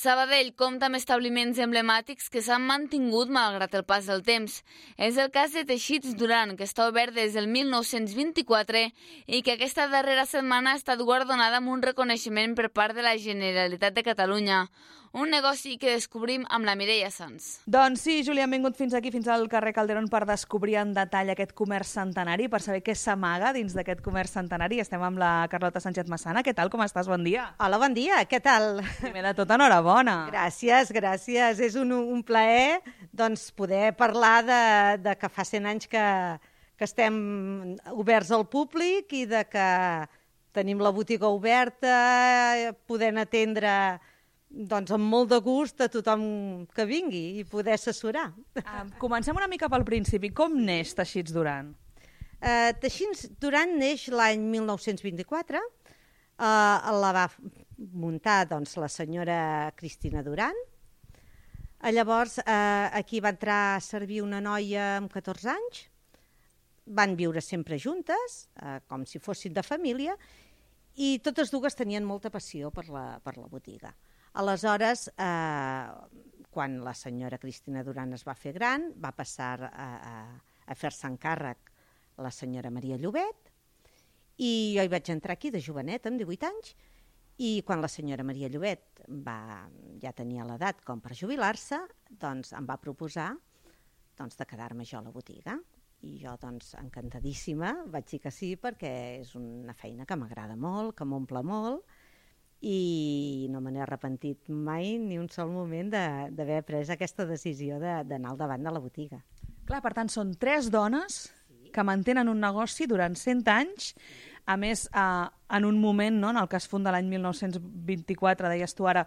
Sabadell compta amb establiments emblemàtics que s'han mantingut malgrat el pas del temps. És el cas de Teixits Duran, que està obert des del 1924 i que aquesta darrera setmana ha estat guardonada amb un reconeixement per part de la Generalitat de Catalunya. Un negoci que descobrim amb la Mireia Sans. Doncs sí, Júlia, hem vingut fins aquí, fins al carrer Calderón, per descobrir en detall aquest comerç centenari, per saber què s'amaga dins d'aquest comerç centenari. Estem amb la Carlota Sánchez Massana. Què tal, com estàs? Bon dia. Hola, bon dia, què tal? Primer de tot, enhorabona. Gràcies. És un plaer doncs, poder parlar de que fa 100 anys que estem oberts al públic i de que tenim la botiga oberta, podent atendre doncs amb molt de gust a tothom que vingui i poder assessorar. Comencem una mica pel principi. Com neix Teixits Duran? Teixits Duran neix l'any 1924. La va muntar doncs, la senyora Cristina Duran. Llavors, aquí va entrar a servir una noia amb 14 anys. Van viure sempre juntes, com si fossin de família, i totes dues tenien molta passió per la botiga. Aleshores, quan la senyora Cristina Duran es va fer gran, va passar a fer-se encàrrec la senyora Maria Llobet, i jo hi vaig entrar aquí de jovenet, amb 18 anys, i quan la senyora Maria Llobet ja tenia l'edat com per jubilar-se, doncs em va proposar de quedar-me jo a la botiga. I jo, encantadíssima, vaig dir que sí, perquè és una feina que m'agrada molt, que m'omple molt, i no me n'he arrepentit mai ni un sol moment d'haver pres aquesta decisió d'anar al davant de la botiga. Clar, per tant, són 3 dones que mantenen un negoci durant 100 anys, a més, en un moment, no, en el que es funda l'any 1924, deies tu ara,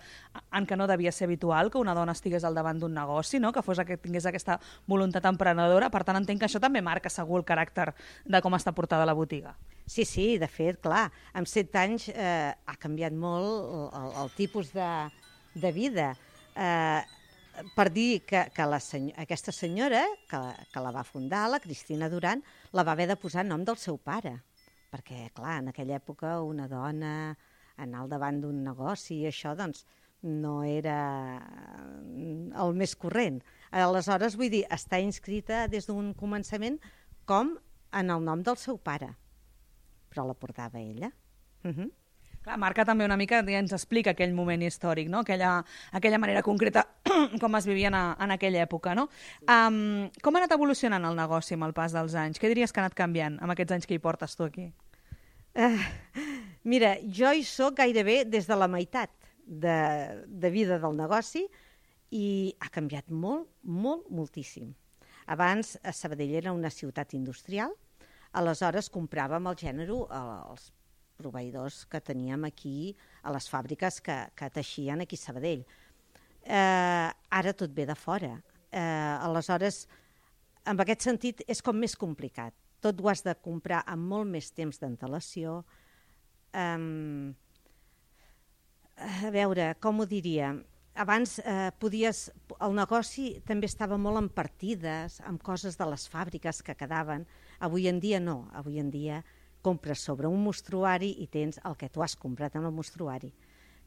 en què no devia ser habitual que una dona estigués al davant d'un negoci, no? Que tingués aquesta voluntat emprenedora. Per tant, entenc que això també marca segur el caràcter de com està portada la botiga. Sí, de fet, clar, en 7 anys ha canviat molt el tipus de vida. Per dir que aquesta senyora, que la va fundar, la Cristina Duran, la va haver de posar en nom del seu pare, perquè, clar, en aquella època una dona anar al davant d'un negoci i això, doncs, no era el més corrent. Aleshores, vull dir, està inscrita des d'un començament com en el nom del seu pare, però la portava ella. Clar, marca també una mica, ens explica aquell moment històric, no? Aquella manera concreta com es vivia en aquella època, no? Com ha anat evolucionant el negoci amb el pas dels anys? Què diries que ha anat canviant amb aquests anys que hi portes tu aquí? Mira, jo hi soc gairebé des de la meitat de vida del negoci i ha canviat molt, moltíssim. Abans Sabadell era una ciutat industrial, aleshores compràvem el gènere als proveïdors que teníem aquí a les fàbriques que teixien aquí a Sabadell. Ara tot ve de fora. Aleshores, en aquest sentit, és com més complicat. Tot ho has de comprar amb molt més temps d'antelació. A veure, com ho diria? Abans el negoci també estava molt en partides, amb coses de les fàbriques que quedaven. Avui en dia no. Avui en dia compres sobre un mostruari i tens el que tu has comprat en el mostruari,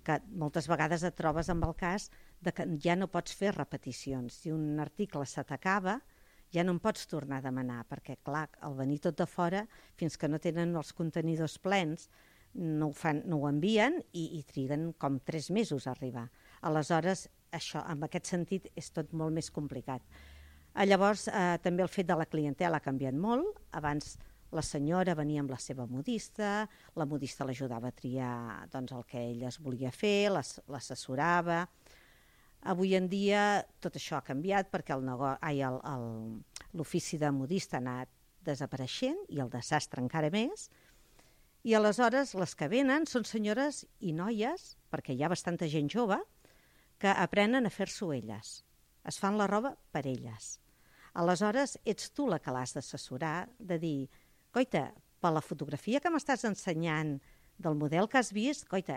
que moltes vegades et trobes amb el cas de que ja no pots fer repeticions. Si un article se t'acaba, ja no en pots tornar a demanar, perquè, clar, al venir tot de fora, fins que no tenen els contenidors plens, no ho envien i triguen com 3 mesos a arribar. Aleshores, això, en aquest sentit, és tot molt més complicat. Llavors, també el fet de la clientela ha canviat molt. Abans la senyora venia amb la seva modista, la modista l'ajudava a triar doncs, el que ella es volia fer, l'assessorava. Avui en dia tot això ha canviat perquè l'ofici de modista ha anat desapareixent i el de sastre encara més. I aleshores les que venen són senyores i noies, perquè hi ha bastanta gent jove, que aprenen a fer-s'ho elles. Es fan la roba per elles. Aleshores ets tu la que l'has d'assessorar, de dir, coita, per la fotografia que m'estàs ensenyant del model que has vist, coita,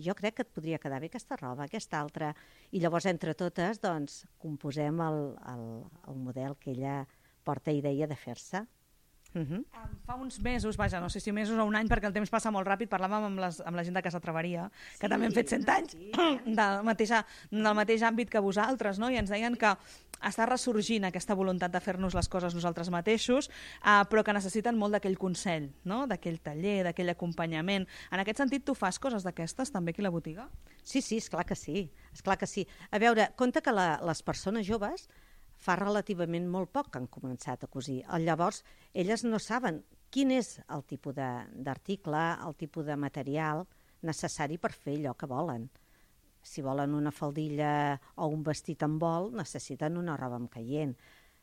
jo crec que et podria quedar bé aquesta roba, aquesta altra. I llavors, entre totes, doncs, composem el model que ella porta idea de fer-se. Fa uns mesos, vaja, no sé si mesos o un any, perquè el temps passa molt ràpid, parlàvem amb la gent de Casa Treveria, que també han fet 100 anys del mateix àmbit que vosaltres, no? I ens deien que està ressorgint aquesta voluntat de fer-nos les coses nosaltres mateixos, però que necessiten molt d'aquell consell, no? D'aquell taller, d'aquell acompanyament. En aquest sentit, tu fas coses d'aquestes també aquí a la botiga? Sí, esclar que sí. Esclar que sí. A veure, compte que les persones joves fa relativament molt poc que han començat a cosir. Llavors, elles no saben quin és el tipus d'article, el tipus de material necessari per fer allò que volen. Si volen una faldilla o un vestit amb vol, necessiten una roba amb caient.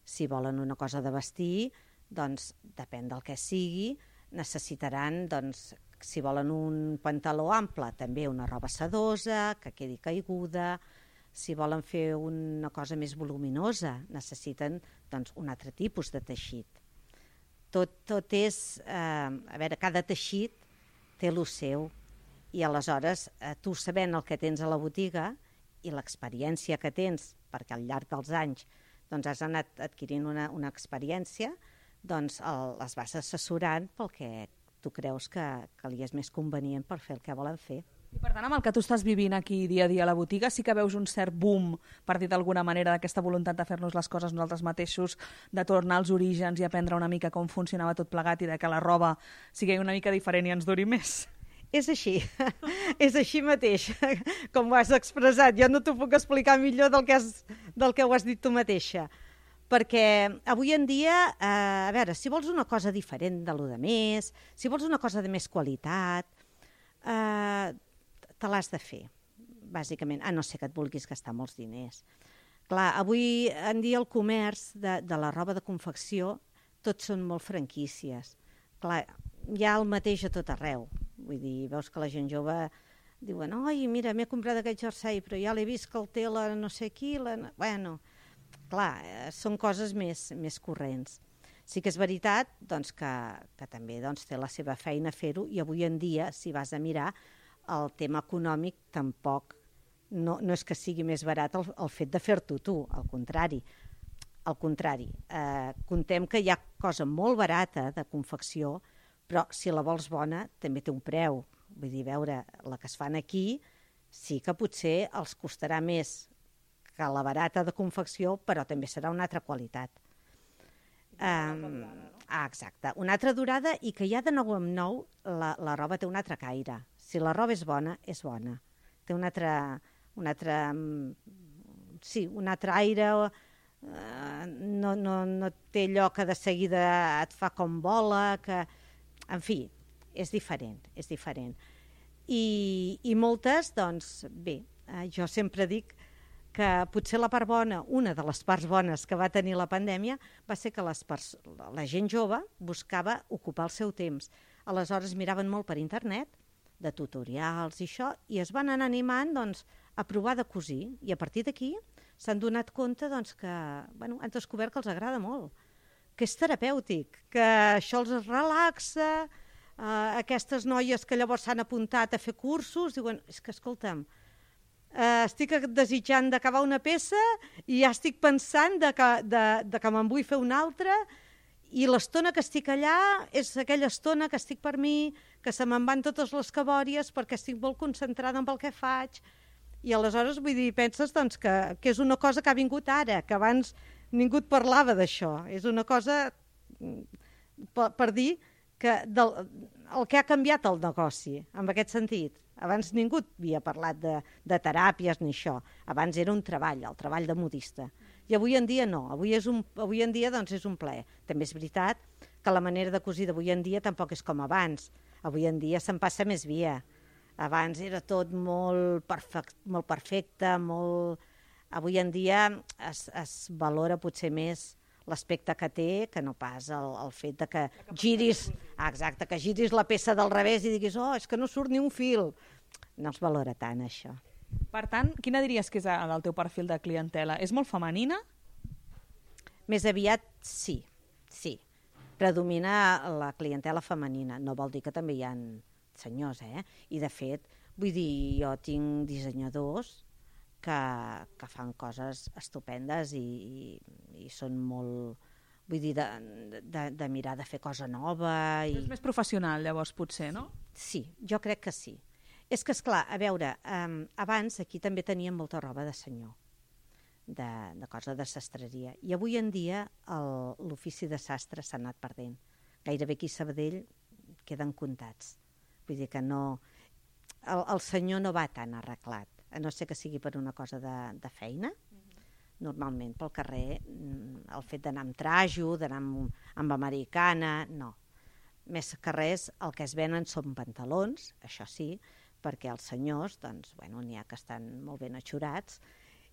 Si volen una cosa de vestir, doncs, depèn del que sigui, necessitaran, doncs, si volen un pantaló ample, també una roba sedosa, que quedi caiguda. Si volen fer una cosa més voluminosa, necessiten doncs, un altre tipus de teixit. Tot és... a veure, cada teixit té el seu. I aleshores, tu sabent el que tens a la botiga i l'experiència que tens, perquè al llarg dels anys doncs, has anat adquirint una experiència, doncs les vas assessorant pel que tu creus que li és més convenient per fer el que volen fer. I per tant, amb el que tu estàs vivint aquí dia a dia a la botiga, sí que veus un cert boom, per dir d'alguna manera, d'aquesta voluntat de fer-nos les coses nosaltres mateixos, de tornar als orígens i aprendre una mica com funcionava tot plegat i de que la roba sigui una mica diferent i ens duri més. És així, és així mateix, com ho has expressat. Jo no t'ho puc explicar millor del que ho has dit tu mateixa. Perquè avui en dia, a veure, si vols una cosa diferent de lo de més, si vols una cosa de més qualitat, te l'has de fer, bàsicament, a no ser que et vulguis gastar molts diners. Clar, avui en dia el comerç de la roba de confecció tots són molt franquícies. Clar, hi ha el mateix a tot arreu. Vull dir, veus que la gent jove diuen, oi, mira, m'he comprat aquest jersei, però ja l'he vist que el té la no sé qui, Bueno, clar, són coses més corrents. Sí que és veritat doncs, que també doncs, té la seva feina fer-ho i avui en dia, si vas a mirar, el tema econòmic tampoc no és que sigui més barat el fet de fer-t'ho tu, al contrari. Al contrari, contem que hi ha cosa molt barata de confecció, però si la vols bona també té un preu. Vull dir, veure, la que es fan aquí sí que potser els costarà més que la barata de confecció, però també serà una altra qualitat. Exacte, una altra durada i que ja de nou en nou la roba té un altre caire. Si la roba és bona, és bona. Té un altre aire, no té allò que de seguida et fa com vola, que... En fi, és diferent. I moltes, doncs, bé, jo sempre dic que potser la part bona, una de les parts bones que va tenir la pandèmia, va ser que la gent jove buscava ocupar el seu temps. Aleshores miraven molt per internet, de tutorials i això, i es van anar animant doncs, a provar de cosir. I a partir d'aquí s'han donat compte doncs, que han descobert que els agrada molt, que és terapèutic, que això els relaxa. Aquestes noies que llavors s'han apuntat a fer cursos, diuen, és que escolta'm, estic desitjant d'acabar una peça i ja estic pensant que me'n vull fer una altra i l'estona que estic allà és aquella estona que estic per mi, que se me'n van totes les cabòries perquè estic molt concentrada en el que faig. I aleshores, vull dir, penses doncs, que és una cosa que ha vingut ara, que abans ningú et parlava d'això. És una cosa per dir que el que ha canviat el negoci, en aquest sentit. Abans ningú havia parlat de teràpies ni això. Abans era un treball, el treball de modista. I avui en dia no. Avui en dia doncs, és un plaer. També és veritat que la manera de cosir d'avui en dia tampoc és com abans. Avui en dia se'n passa més via. Abans era tot molt perfecte, Avui en dia es valora potser més l'aspecte que té que no pas el fet de que giris... Exacte, que giris la peça del revés i diguis, és que no surt ni un fil. No es valora tant, això. Per tant, quina diries que és el teu perfil de clientela? És molt femenina? Més aviat, sí. Predomina la clientela femenina. No vol dir que també hi ha senyors, I, de fet, vull dir, jo tinc dissenyadors que fan coses estupendes i són molt, vull dir, de mirar de fer cosa nova. És més professional, llavors, potser, no? Sí, jo crec que sí. És que, esclar, a veure, abans aquí també teníem molta roba de senyor, de cosa de sastreria. I avui en dia l'ofici de sastre s'ha anat perdent. Gairebé aquí a Sabadell queden comptats. Vull dir que no... El senyor no va tan arreglat, a no ser que sigui per una cosa de feina. Normalment pel carrer el fet d'anar amb trajo, d'anar amb americana, no. Més que res el que es venen són pantalons, això sí, perquè els senyors, doncs, bueno, n'hi ha que estan molt ben atxurats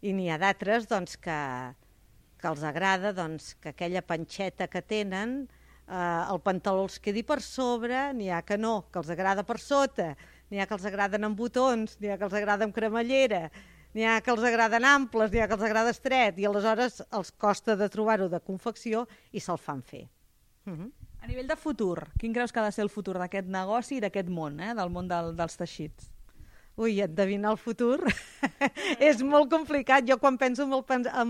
i n'hi ha d'altres doncs, que els agrada doncs, que aquella panxeta que tenen el pantaló els quedi per sobre, n'hi ha que no, que els agrada per sota, n'hi ha que els agraden amb botons, n'hi ha que els agrada amb cremallera, n'hi ha que els agraden amples, n'hi ha que els agrada estret, i aleshores els costa de trobar-ho de confecció i se'l fan fer. A nivell de futur, quin creus que ha de ser el futur d'aquest negoci i d'aquest món, del món dels teixits? Ui, endevinar el futur és molt complicat. Jo quan penso en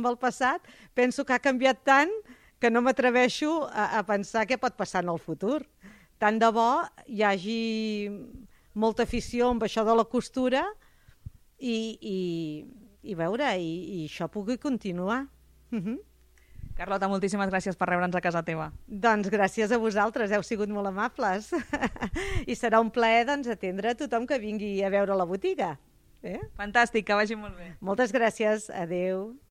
el passat penso que ha canviat tant que no m'atreveixo a pensar què pot passar en el futur. Tant de bo hi hagi molta afició amb això de la costura i veure, i això pugui continuar. Carlota, moltíssimes gràcies per rebre'ns a casa teva. Doncs gràcies a vosaltres, heu sigut molt amables. I serà un plaer doncs, atendre a tothom que vingui a veure la botiga. Fantàstic, que vagi molt bé. Moltes gràcies, adeu.